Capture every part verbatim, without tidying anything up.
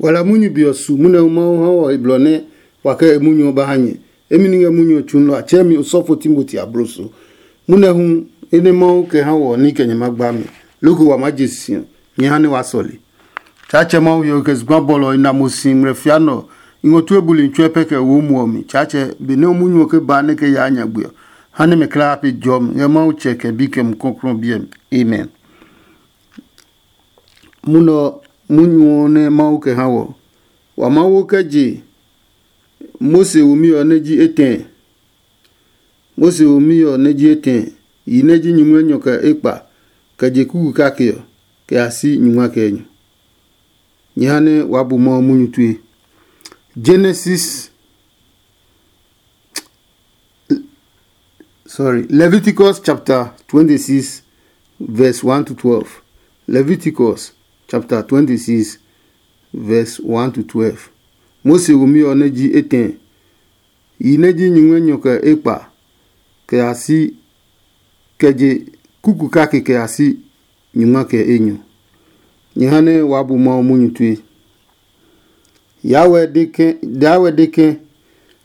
Wa la munyu be ɔ su munyu ɔ Mawu ha wɔ he blɔ nɛ wa kɛ e munyu ɔ ba ha nyɛ. Emi ni ngɛ munyu ɔ tsuunlɔ a tsɛɛ mi osɔfo Timoti abloso. Munyu ɔ hu e nɛ Mawu kɛ ha wɔ ní kɛ nyɛ ma gba mi. Loko wa maa je si ɔ, nyɛ ha nɛ waa sɔle. Tsaatsɛ Mawu he ɔ kɛ zugba bɔlɔ ɔ i na mo si ngmlɛ fia nɛ ɔ, i ngɔ tue buli tsuɛ pɛ kɛ wo muɔ mi. Tsaatsɛ, benɛ o munyu ɔ ke ba nɛ kɛ yaa nyagbe ɔ, ha nɛ mɛ kulaa pe jɔmi ngɛ Mawu Tsɛ kɛ Bi kɛ Mumi Klɔuklɔu ɔ biɛ mi. Amen. Munɔ munyu ɔ nɛ Mawu kɛ ha wɔ. Wa Mawu kɛ je Mose womi ɔ nɛ ji etɛ. Mose womi ɔ nɛ ji etɛ, yi nɛ ji nyumu enyɔ kɛ ekpa, kɛ je kuku kake ɔ, kɛ ya si nyungma kɛ enyɔ. Nyɛ ha nɛ waa bu Mawu munyu tue. Genesis, sorry, Leviticus chapter twenty-six, verse one to twelve. Leviticus chapter twenty-six, verse one to twelve. Mose womi ɔ nɛ ji etɛ, yi nɛ ji nyumu enyɔ kɛ ekpa, kɛ ya si, kɛ je kuku kake kɛ ya si nyungma kɛ enyɔ. Nyɛ ha nɛ waa bu Mawu munyu tue. Yawɛ de ke, Yawɛ de ke,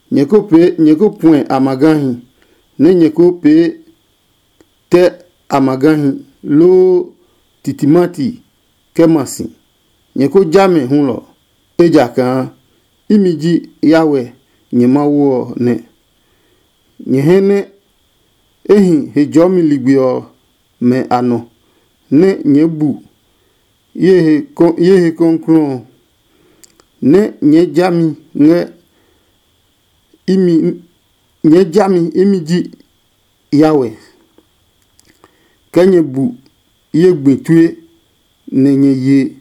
nyɛ ko pee, nyɛ ko puɛ amagahi, nɛ nyɛ ko pee tɛ amagahi loo titimati kɛ ma si. Nyɛ ko ja mɛ hulɔ, ejakaa imi ji Yawɛ nyɛ Mawu ɔ nɛ. Nyɛ hɛ nɛ e hi Hejɔɔmi ligbi ɔmɛ a nɔ, nɛ nyɛɛ bu ye he kɔklɔɔ ɔ, nɛ nyɛɛ ja mi ngɛ imi, nyɛɛ ja mi imi ji Yawɛ. Kɛ nyɛ bu ye gbi tue, nɛ nyɛ ye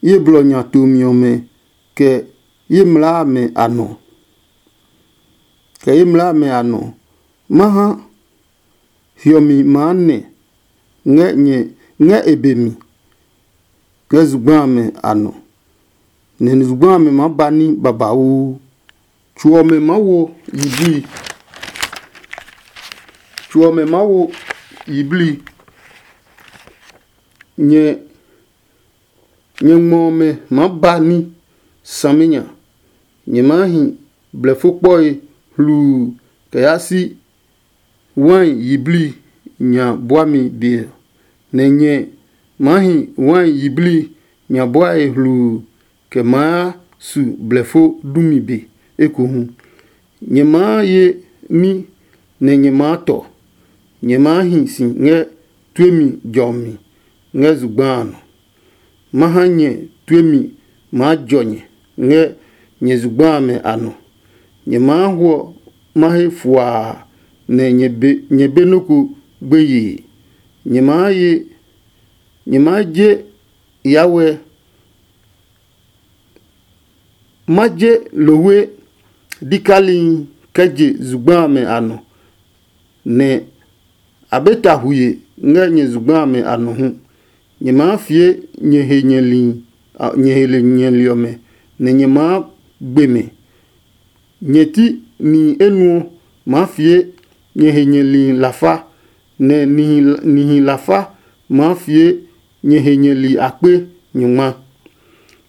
ye blɔ nya tomi ɔmɛ, kɛ ye mlaa amɛ a nɔ, kɛ ye mlaa amɛ a nɔ. Ma ha hiɔmi maa nɛ ngɛ nyɛ ngɛ e be mi, kɛ zugba amɛ a nɔ, nɛ zugba amɛ maa ba ní babauu. Tso ɔmɛ maa wo yiblii, tso ɔmɛ maa wo yiblii. Nyɛ nyɛ ngmɔ ɔmɛ maa ba ní saminya. Nyɛ maa hi blɛfo kpɔe hluu kɛ yaa si wai yiblii nya buami be ɔ, nɛ nyɛ maa hi wai yiblii nya buae hluu kɛ maa su blɛfo dumi be ekohu. Nyɛ maa ye ní nɛ nyɛ maa tɔ. Nyɛ maa hi si ngɛ tuemi jɔmi ngɛ zugba a nɔ. Ma ha nyɛ tuemi maa jɔ nyɛ ngɛ nyɛ zugba amɛ a nɔ. Nyɛ maa hwɔ ma he fuaa, nɛ nyɛ be nɔ́ ko gbeyee. Nyɛ maa ye, nyɛ maa je yawɛ, ma je lohwe dikali kɛ je zugba amɛ a nɔ, nɛ a be ta huye ngɛ nyɛ zugba amɛ a nɔ hu. Nyɛ maa fie nyɛ he nyɛli, nyɛ he nyɛli ɔmɛ, nɛ nyɛ maa gbe mɛ. Nyɛ ti nihi enuɔ maa fie nyɛ he nyɛli lafa, nɛ nihi lafa maa fie nyɛ he nyɛli akpe nyungma.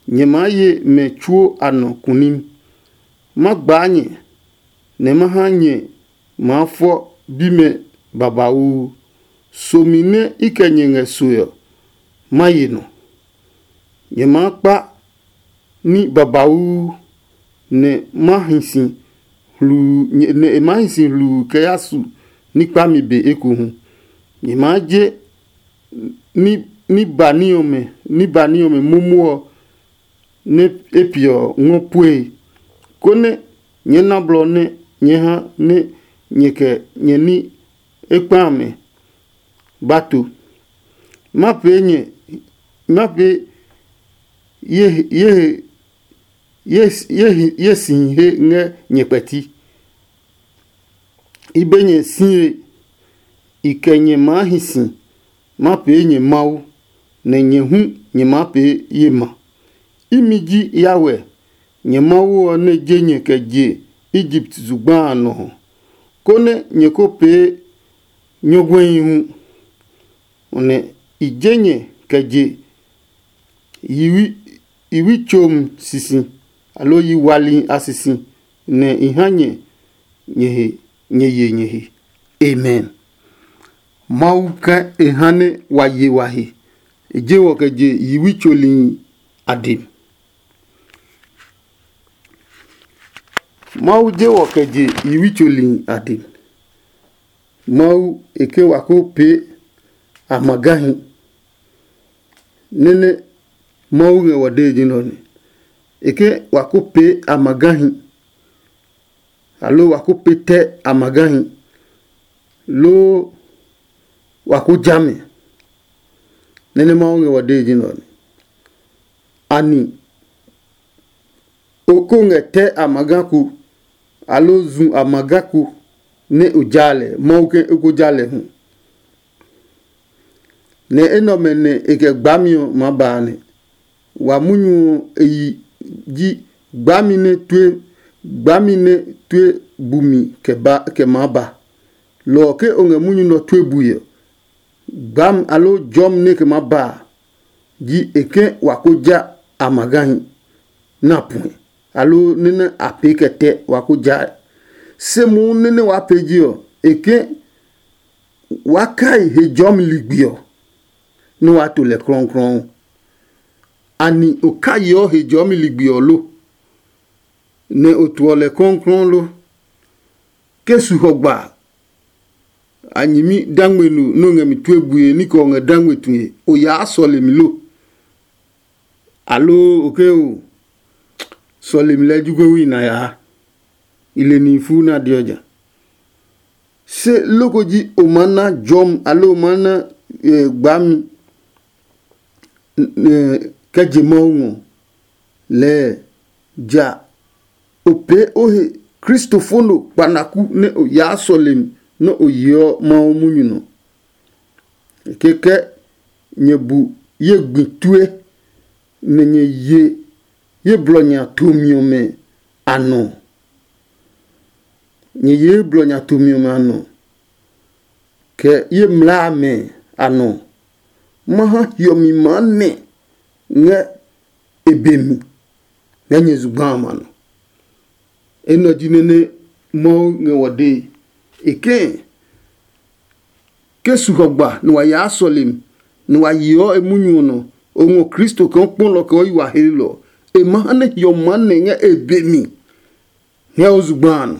Nyɛ maa ye mɛ tsuo a nɔ kunim. Ma gbaa nyɛ, nɛ ma ha nyɛ maa fɔ bimɛ babauu. Somi nɛ i kɛ nyɛ ngɛ soe ɔ, ma ye nɔ. Nyɛ maa kpa ní babauu, nɛ ma hi si hluu, nɛ e maa hi si hluu kɛ ya su ní kpami be ekohu. Nyɛ maa je ní ní ba ní ɔmɛ ní ba ní ɔmɛ momo ɔ nɛ e piɛ ɔ ngɔ pue, konɛ nyɛɛ na blɔ nɛ nyɛɛ ha nɛ nyɛ kɛ nyɛ ní ekpa amɛ ba to. Ma pee nyɛ, ma pee ye ye ye ye ye sihi he ngɛ nyɛ kpɛti. I be nyɛ sie, i kɛ nyɛ maa hi si, ma pee nyɛ Mawu, nɛ nyɛ hu nyɛ maa pee ye ma. Imi ji Yahweh, nyɛ Mawu ɔ nɛ je nyɛ kɛ je Egipt zugba a nɔ ɔ, konɛ nyɛ ko pee nyɔguɛhi hu, nɛ i je nyɛ kɛ je yiwi i wi tsom sisi, aloo yi wali a sisi, nɛ i ha nyɛ nyɛ he nyɛ ye nyɛ he. Amen. Mawu kɛ e ha nɛ wa ye wa he, e je wɔ kɛ je yiwi tsolihi a dem. Mawu je wɔ kɛ je yiwi tsolihi a dem. Mawu e ke wa ko pee a magahi. Nene Mawu ngɛ wɔ dee ji nɛ ɔ nɛ. E ke wa ko pee a magahi, aloo wa ko pee tɛ a magahi, loo wa ko ja mɛ. Nene Mawu ngɛ wɔ dee ji nɛ ɔ nɛ. Ani o ko ngɛ tɛ a maga ko, aloo zu a maga ko nɛ o ja lɛ, Mawu ke o ko ja lɛ hu? Nɛ enɛ ɔmɛ nɛ e kɛ gbami ɔ maa ba a nɛ. Wa munyu ɔ e yi ji gbami nɛ tue gbami nɛ tue bumi kɛ ba kɛ maa ba. Lɔ ɔ ke o ngɛ munyu nɛ ɔ tue bui ɔ, gbami aloo jɔmi nɛ kɛ maa ba a, ji e ke wa ko ja a magahi na puɛ, aloo nɛ nɛ a pee kɛ tɛ wa ko ja ɛ. Se mohu nɛ nɛ waa pee ji ɔ, e ke waa kai he jɔmi ligbi ɔ, nɛ waa to lɛ klɔuklɔu. Ani o kai yeɔ he jɔmi ligbi ɔ lo, nɛ o tuɔ lɛ klɔuklɔu lo? Ke su hɔ gba a nyɛmi dangme no nɛ o ngɛ mi tue bue ní kɛ o ngɛ dangme tue, o yaa sɔle mi lo? Aloo o ke o sɔle mi lɛɛ jugbe wi na yaa? I le nihi fuu nɛ a deɔ ja. Se loko ji o maa na jɔmi aloo o maa na gbami kɛ je Mawu ngɔ lɛɛ ja o pee o he kristofo no kpanaku nɛ o yaa sɔlemi nɛ o yeɔ Mawu munyu nɔ. Kɛkɛ nyɛ bu ye gbi tue, nɛ nyɛ ye ye blɔ nya tomi ɔmɛ a nɔ. Nyɛ ye ye blɔ nya tomi ɔmɛ a nɔ, kɛ ye mlaa amɛ a nɔ. Ma ha hiɔmi maa nɛ ngɛ e be mi ngɛ nyɛ zugba amɛ a nɔ. Enɛ ɔ ji nɛ nɛ Mawu ngɛ wɔ dee. E kɛɛ, ke su hɔ gba nɛ wa yaa sɔlemi, nɛ wa yeɔ e munyu ɔ nɔ, o ngɔ Kristo kaa o kpɔlɔ kɛ o yi wa heelɔ ɔ, e ma ha nɛ hiɔmi maa nɛ ngɛ e be mi ngɛ o zugba a nɔ.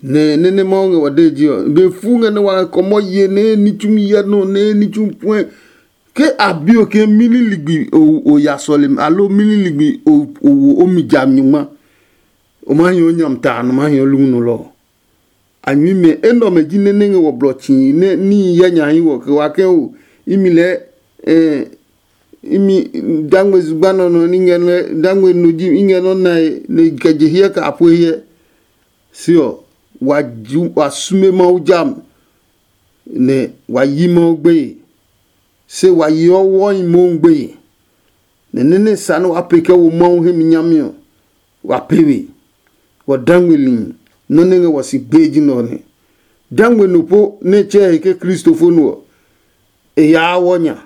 Nɛ nɛ nɛ Mawu ngɛ wa dee je ɔ, be fu ngɛ nɛ wa kɔmɔ ye nɛ ní tsumi hyɛ nɔ nɛ ní tsumi puɛ. Ke a bi o ke mili ligbi o ya sɔlemi aloo mili ligbi o wo o mi ja nyuma, o ma hi o nyami ta nɔ ma hi o lungnu lɔ ɔ. A nyuimɛ enɛ ɔmɛ ji nɛ nɛ ngɛ wɔ blɔ tsii nɛ níhi hyɛ nya hi wɔ kɛ wa kɛ o imi lɛɛ imi dangme zugba nɔ nɔ ní ngɛ nɔ dangme no ji i ngɛ nɔ nae nɛ kɛ je hiɛ kɛ a pue hiɛ. Se ɔ, wa ju wa sume Mawu jam, nɛ wa yi Mawu gbeye. Se wa yeɔ wɔhi mohu gbeye, nɛ nɛ nɛ sa nɛ wa pee kɛ wo Mawu hemi nyami ɔ, wa pee we. Wɔ dangmeli nɔ nɛ ngɛ wɔ si gbee ji nɛ ɔ nɛ. Dangme no po nɛ tsɛɛ he ke kristofo no ɔ, e yaa wɔ nya,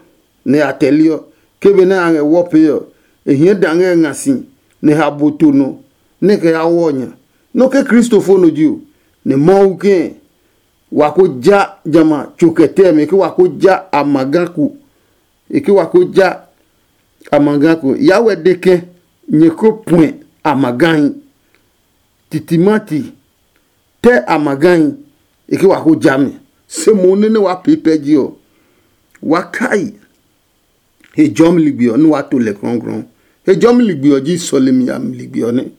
nɛ a tɛliɔ. Ke benɛ a ngɛ wɔ pee ɔ, e hiɛ da ngɛ e nga si, nɛ ha bo to nɔ, nɛ e kɛ yaa wɔ nya. Nɔ ke kristofo no ji o, nɛ Mawu kɛɛ wa ko ja jamɛ a tso kɛ tɛmɛ ke wa ko ja a ma ga ko. E ke wa ko ja a ma ga ko. Yawɛ de ke nyɛ ko puɛ a ma gahi. Titimati tɛ a ma gahi. E ke wa ko ja mi. Se mo nene wa pee pɛ ji ɔ, wa kai he jɔmi ligbi ɔ nɛ wa to lɛ krɔngkrɔng. He jɔmi ligbi ɔ ji sɔlemi a mi ligbi ɔ nɛ.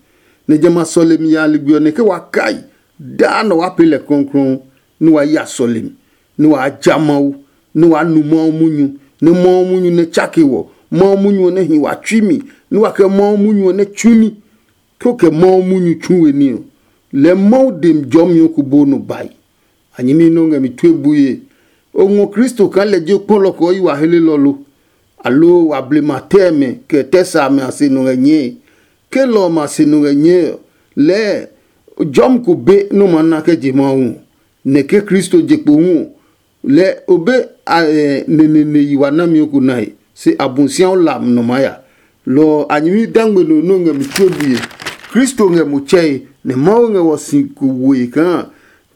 Nɛ jamɛ a sɔlemi a ligbi ɔ nɛ ke wa kai daa nɔ wa pee lɛ krɔngkrɔng, nɛ wa ya sɔlemi, nɛ wa ja Mawu, nɛ wa nu Mawu munyu, nɛ Mawu munyu nɛ tsake wɔ, Mawu munyu ɔ nɛ hi wa tsui mi, nɛ wa kɛ Mawu munyu ɔ nɛ tsu ní. Ke o kɛ Mawu munyu tsu we ní ɔ, lɛɛ Mawu dem jɔmi ɔ ko bo nɔ bae. A nyɛmi nɛ o ngɛ mi tue bue. O ngɔ Kristo kaa lɛ ji o kpɔlɔ kɛ o yi wa helelɔ lo? Aloo wa blema tɛmɛ kɛ tɛ sa amɛ a se nɔ ngɛ nyɛe? Ke lɔ ɔ ma se nɔ ngɛ nyɛe ɔ, lɛɛ jɔmi ko be nɛ o maa na kɛ je Mawu ɔ, nɛ ke Kristo je kpo hu ɔ, lɛɛ o be neneneyi wa nami ɔ ko nae, se Abosiaɔ lam nɔ maa ya. Lɔ ɔ a nyɛmi dangme no nɛ ɔ ngɛ mi tue bue. Kristo ngɛ mo tsɛe, nɛ Mawu ngɛ wɔ si ko woe kaa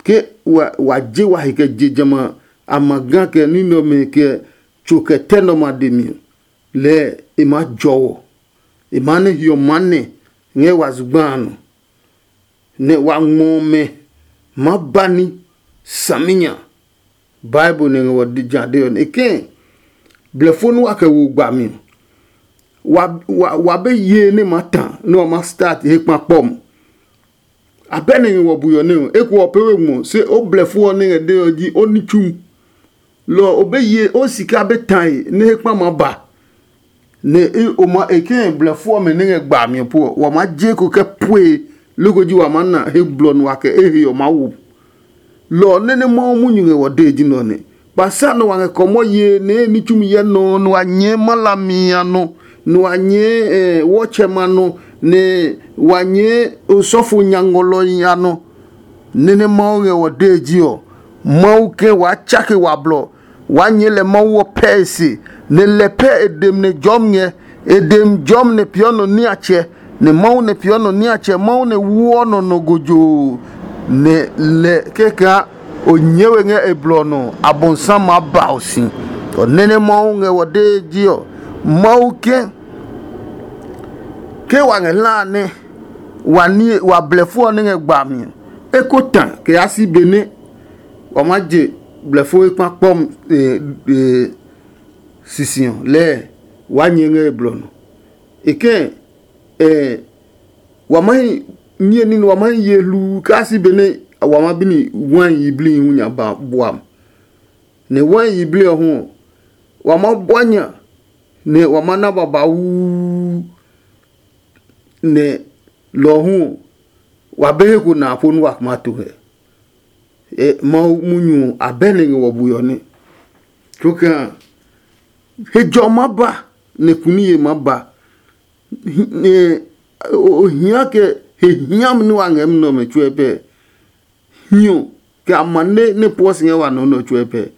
ke wa je wa he kɛ je jamɛ a a ma ga kɛ ní nɛ ɔmɛ kɛ tso kɛ tɛ nɛ ɔmɛ a dɛ mi ɔ, lɛɛ e maa jɔ wɔ. E maa nɛ hiɔ maa nɛ ngɛ wa zugba a nɔ, nɛ wa ngmɔ ɔmɛ maa ba ní saminya. Bible nɛ ngɛ wɔ ja de ɔ nɛ e kɛɛ blɛfo nɛ wa kɛ wo gbami ɔ, wa, wa, wa be yee nɛ ma ta nɛ wa ma start he kpa kpɔ mo. Abɛ nɛ ngɛ wɔ bui ɔ nɛ ɔ, eko ɔ pɛ we ngmɔ, se o blɛfo ɔ nɛ ngɛ de ɔ ji o ní tsumu. Lɔ ɔ, o be ye o sika be tae nɛ he kpa maa ba, nɛ o ma e kɛ blɛfo ɔmɛ nɛ ngɛ gbami ɔ po ɔ, wa maa je ko kɛ pue loko ji wa maa na he blɔ nɛ wa kɛ e he ɔ maa wo. Lɔ ɔ nɛ nɛ Mawu munyu ngɛ wɔ dee ji nɛ ɔ nɛ. Kpasa nɛ wa ngɛ kɔmɔ yee nɛ e ní tsumi hyɛ nɔ ɔ nɛ wa nyɛɛ ma hlami a nɔ, nɛ wa nyɛɛ wɔtsɛma nɔ, nɛ wa nyɛɛ osɔfo nya ngɔlɔhi a nɔ. Nɛ nɛ Mawu ngɛ wɔ dee ji ɔ, Mawu ke waa tsake wa blɔ, waa nyɛɛ lɛ Mawu ɔ pɛe se, nɛ lɛ pɛ e dem nɛ jɔmi ngɛ, e dem jɔmi nɛ peeɔ nɔ niatsɛ, nɛ Mawu nɛ peeɔ nɔ niatsɛ, Mawu nɛ wuɔ nɔ nɔ gojoo, nɛ lɛ kɛkaa o nyɛɛ we ngɛ e blɔ ɔ nɔ, Abɔnsa maa ba o si. Ɔ nɛ nɛ Mawu ngɛ wɔ dee ji ɔ, Mawu ke ke wa ngɛ hla a nɛ wa blɛfo ɔ nɛ ngɛ gba mi ɔ, e ko ta kɛ yaa si benɛ wa maa je blɛfo ekpa kpɔ sisi ɔ lɛɛ waa nyɛɛ ngɛ e blɔ nɔ. E kɛɛ wa ma hi niye ní nɛ wa ma hi ye hluu kaa si benɛ wa ma bini wai yiblii hu nya ba bua mi. Nɛ wai yiblii ɔ hu ɔ, wa ma bua nya nɛ wa ma na babauu. Nɛ lɔ ɔ hu ɔ, wa be he ko na a po nɛ wa ma to hɛ. Mawu munyu ɔ abɛ nɛ ngɛ wɔ bue ɔ nɛ. Tsokaa hejɔ ɔ maa ba, nɛ kuniye maa ba. O hia kɛ he hiami nɛ wa ngɛ munɛ ɔmɛ tsuɛ pɛ. Hiɔ kɛ amane nɛ pueɔ si ngɛ wa nɔ nɛ ɔ tsuɛ pɛ.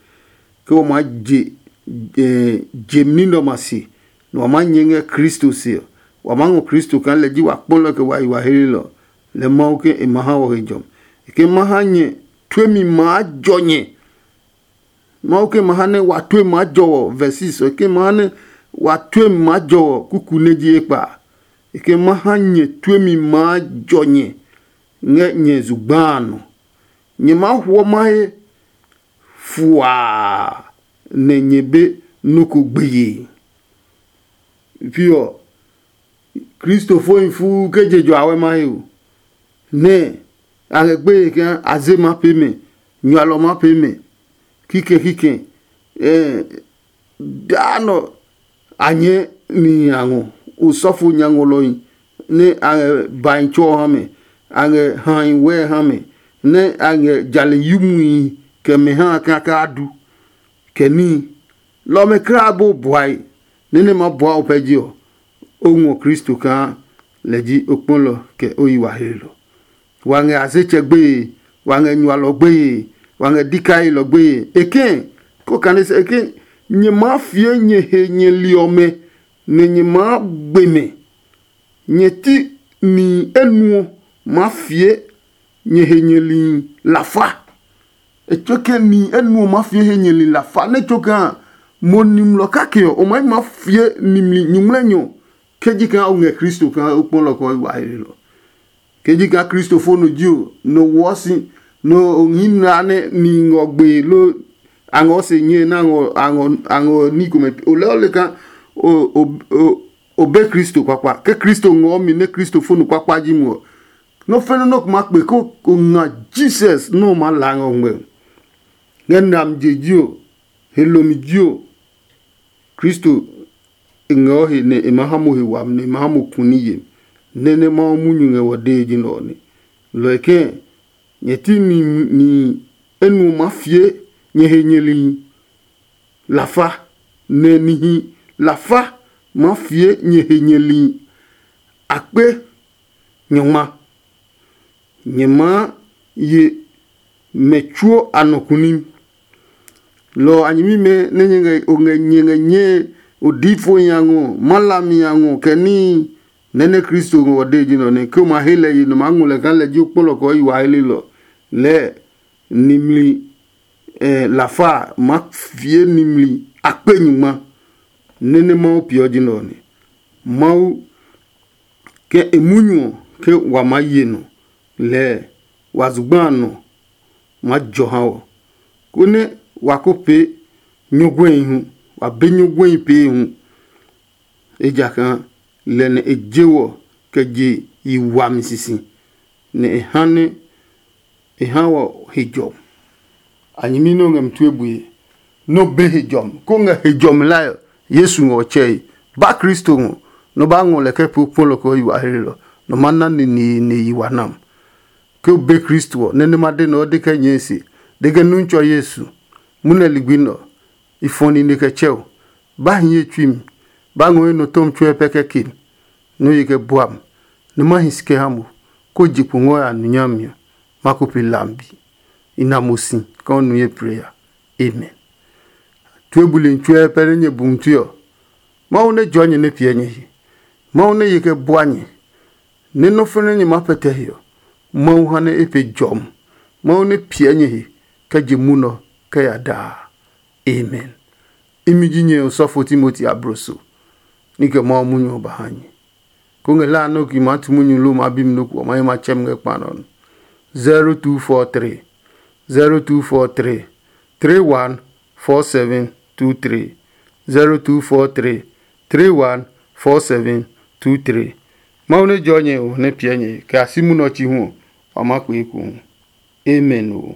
Ke wa maa je je ní nɛ ɔmɛ a se, nɛ wa maa nyɛ ngɛ Kristo se ɔ, wa maa ngɔ Kristo kaa lɛ ji wa kpɔlɔ kɛ wa yi wa heelelɔ. Lɛ Mawu ke e ma ha wɔ he jɔmi. E ke ma ha nyɛ tuemi maa jɔ nyɛ. Mawu ke ma ha nɛ wa tue maa jɔ wɔ verses ɔ ke ma ha nɛ wa tue maa jɔ wɔ kuku nɛ ji ekpa. E ke ma ha nyɛ tuemi maa jɔ nyɛ ngɛ nyɛ zugba a nɔ. Nyɛ maa huɔ mahe fuaa nɛ nyɛ be nɔ́ ko gbeye. Pi ɔ, kristofohi fuu ke je jɔ awɛ mahe o, nɛ a ngɛ gbeye kaa a ze ma pee mɛ, nyualɔ ma pee mɛ, kikɛ kikɛ. Daa nɔ a nyɛɛ nihi a ngɔ, osɔfo nya ngɔlɔhi nɛ a ngɛ bahi tso ɔ ha mɛ, a ngɛ hahi wɛɛ ha mɛ, nɛ a ngɛ jale yumuhi kɛ mɛ ha kaka a du, kɛ níhi. Lɔ ɔmɛ kulaa bo buae nɛ nɛ ma bua o pɛ je ɔ, o ngɔ Kristo kaa lɛ ji o kpɔlɔ kɛ o yi wa heelɔ. Wa ngɛ azetsɛ gbeye, wa ngɛ nyualɔ gbeye, wa ngɛ dikailɔ gbeye. E kɛ̃ ko kane sɛ e ke nyɛ maa fie nyɛ he nyɛ li ɔmɛ, nɛ nyɛ maa gbe mɛ. Nyɛ ti nihi enuɔ maa fie nyɛ he nyɛ li lafa. E tsuo ke nihi enuɔ maa fie he nyɛ li lafa nɛ tsuo kaa mo nimlɔ kake ɔ, o maa yi maa fie nimli nyuŋmlɛnyɔ ke ji kaa o ngɛ Kristo kaa o kpɔ lɔ kɛ o yi wa heelɔ. Ke ji kaa kristofo no ji o, no woɔ si, no o hii na nɛ nihi ngɔ gbee lo a ngɔ se nyɛe nɛ a ngɔ ní komɛ. O lɛɛ o le kaa o be Kristo kpakpa. Ke Kristo ngɔɔ mi nɛ kristofo no kpakpa ji mo ɔ, nɔ́ fɛnɛ nɔ́ ko ma kpe ko ko nga Jesus nɔ́ ɔ maa la ngɛ o ngmɛ. Ngɛ nami je ji o, he lomi ji o, Kristo e ngɛ o he nɛ e maa ha mo he wami, nɛ e maa ha mo ku ní yemi. Nɛ nɛ Mawu munyu ngɛ wɔ dee ji nɛ ɔ nɛ. Lɔ ɔ kɛ̃ nyɛ ti nihi enuɔ maa fie nyɛ he nyɛlihi lafa, nɛ nihi lafa maa fie nyɛ he nyɛlihi akpe nyɔngma. Nyɛ maa ye mɛ tsuo a nɔ kunim. Lɔ ɔ a nyɛmimɛ nɛ nyɛ ngɛ o ngɛ nyɛ ngɛ nyɛe Odifo nya ngɔ, malami nya ngɔ, kɛ níhi nɛ nɛ Kristo ngɔ ɔ de ji nɔ nɛ ke o ma he lɛ yi nɔ maa ngɔ lɛ kaa lɛ ji o kpɔlɔ kɛ o yi wa helelɔ. Lɛɛ nimli eh, lafa a ma fie nimli akpe nyingma nɛ nɛ Mawu peeɔ ji nɛ ɔ nɛ. Mawu kɛ e munyu ɔ ke wa maa ye nɔ lɛɛ wa zugba a nɔ maa jɔ ha wɔ, konɛ wa ko pee nyɔguɛhi hu, wa be nyɔguɛhi pee hu. Ejakaa lɛ nɛ e je wɔ kɛ je yi wami sisi, nɛ e ha nɛ e ha wɔ he jɔmi. A nyɛmi nɛ o ngɛ mi tue bue, nɛ o be he jɔmi, kó ngɛ he jɔmi lae ɔ, Yesu ngɛ ɔ tsɛe. Ba Kristo ngɔ, nɛ o ba ngɔ lɛ kɛ pee o kpɔlɔ kɛ o yi wa hlelɔ, nɛ o ma na neneene yi wa nam. Ke o be Kristo ɔ, nɛ nɛ ma de nɛ o de kɛ nyɛɛ se, de kɛ nu tsɔ Yesu, munɛ ligbi nɛ ɔ, i fɔ nine kɛ tsɛ o. Ba hi ye tsui mi, ba ngɔ ye nɔ tɔmi tsuɛ pɛ kɛ ke mi, nɛ o ye kɛ bua mi, nɛ ma hi si kɛ ha mo, kó je kpo ngɔ ya nu nyami ɔ, ma ko pe lambi. I na mo si kaa o nu ye plee ya. Amen. Tue buli tsuɛ pɛ nɛ nyɛ bu ngmlui ɔ, Mawu nɛ jɔɔ nyɛ nɛ piɛ nyɛ he. Mawu nɛ ye kɛ bua nyɛ, nɛ nɔ́ fɛnɛ nyɛ maa pɛtɛ he ɔ, Mawu ha nɛ e pe jɔmi. Mawu nɛ piɛ nyɛ he kɛ je munɔ kɛ ya daa. Amen. Imi ji nyɛ osɔfo Timoti abloso, ní kɛ Mawu munyu ɔ ba ha nyɛ. Ko ngɛ la nɔ ki maa tu munyu lo maa bi mi nɔ ko ɔ, ma ye ma tsɛ mi ngɛ kpa nɔ nɔ. zero two four three zero two four three three one four seven two three. zero two four three three one four seven two three. Mawu nɛ jɔ nyɛ o nɛ piɛ nyɛ kɛ a si munɔ chi hu ɔ, wa ma kpee eko hu. Amen o.